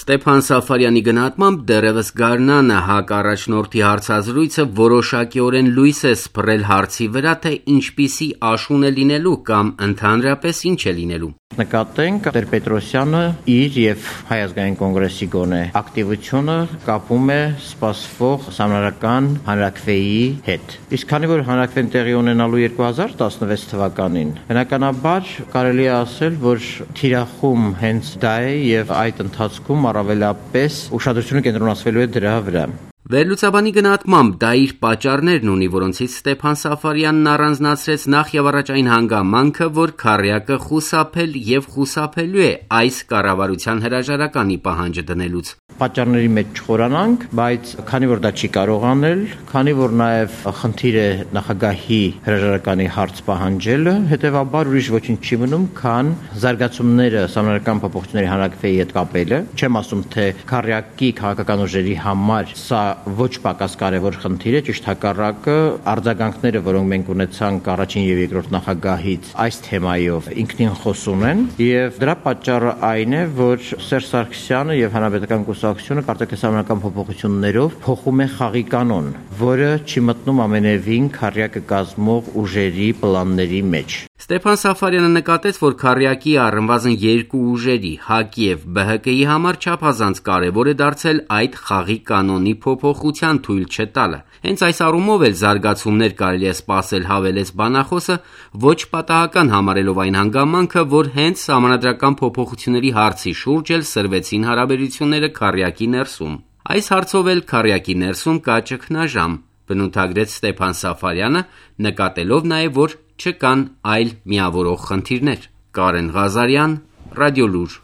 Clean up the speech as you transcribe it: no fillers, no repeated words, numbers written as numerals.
Ստեփան Սաֆարյանի գնահատմամբ դեռևս գարնանը ՀԱԿ առաջնորդի հարցազրույցը որոշակիորեն լույս է սփռել հարցի վրա, թե ինչպիսի աշուն է լինելու կամ ընդհանրապես ինչ է լինելու։ Նկատենք Տեր-Պետրոսյանը իր եւ Հայ ազգային կոնգրեսի գոնե ակտիվությունը կապում է սպասվող համանարական հանրաքվեի հետ։ Իսկ քանի որ հանրաքվեն տեղի ունենալու 2016 թվականին, բնականաբար կարելի է ասել, որ թիրախում հենց դա է եւ այդ ընթացքում առավելապես ուշադրությունը կենտրոնացվելու է դրա վրա։ Վերլուծաբանի գնահատմամբ դա իր պատճառներն ունի, որոնցից Ստեփան Սաֆարյանն առանձնացրեց նախ եւ առաջ այն հանգամանքը, որ քառյակը խուսափել եւ խուսափելու է այս կառավարության հրաժարականի պահանջը դնելուց։ Պատճառների մեջ չխորանանք, բայց քանի որ դա չի կարող անել, քանի որ նաեւ խնդիր է նախագահի հրաժարականի հարց պահանջելը, հետեւաբար ուրիշ ոչինչ չի մնում, քան զարգացումները համանարական փոփոխությունների հանրաքվեի հետ կապելը։ Չեմ ասում, թե քառյակի քաղաքական ուժերի համար սա ոչ պակաս կարևոր խնդիր է, ճիշտ հակառակը, արձագանքները, որոնք մենք ունեցանք առաջին եւ երկրորդ նախագահից այս թեմայով ինքնին խոսուն են, եւ դրա պատճառը այն է, որ Սերժ Սարգսյանը եւ Հանրապետական կուսակցությունը կարծեք համանարական փոփոխություններով փոխում է խաղի կանոն, որը չի մտնում ամենևին քառյակը կազմող ուժերի պլանների մեջ։ Ստեփան Սաֆարյանը նկատեց, որ քառյակի առնվազն երկու ուժերի ՀԱԿ-ի եւ ԲՀԿ-ի համար չափազանց կարևոր է դարձել այդ խաղի կանոնի փոփոխության թույլ չտալը։ Հենց այս առումով էլ զարգացումներ կարելի է սպասել, հավելեց բանախոսը, ոչ պատահական համարելով այն հանգամանքը, որ հենց սահմանադրական փոփոխությունների հարցի շուրջ էլ սրվեցին հարաբերությունները քառյակի ներսում։ Այս հարցով էլ քառյակի ներսում կա ճգնաժամ, բնութագրեց Ստեփան Սաֆարյանը, նկատելով նաև, որ չկան այլ միավորող խնդիրներ։ Կարեն Ղազարյան, Ռադիոլուր։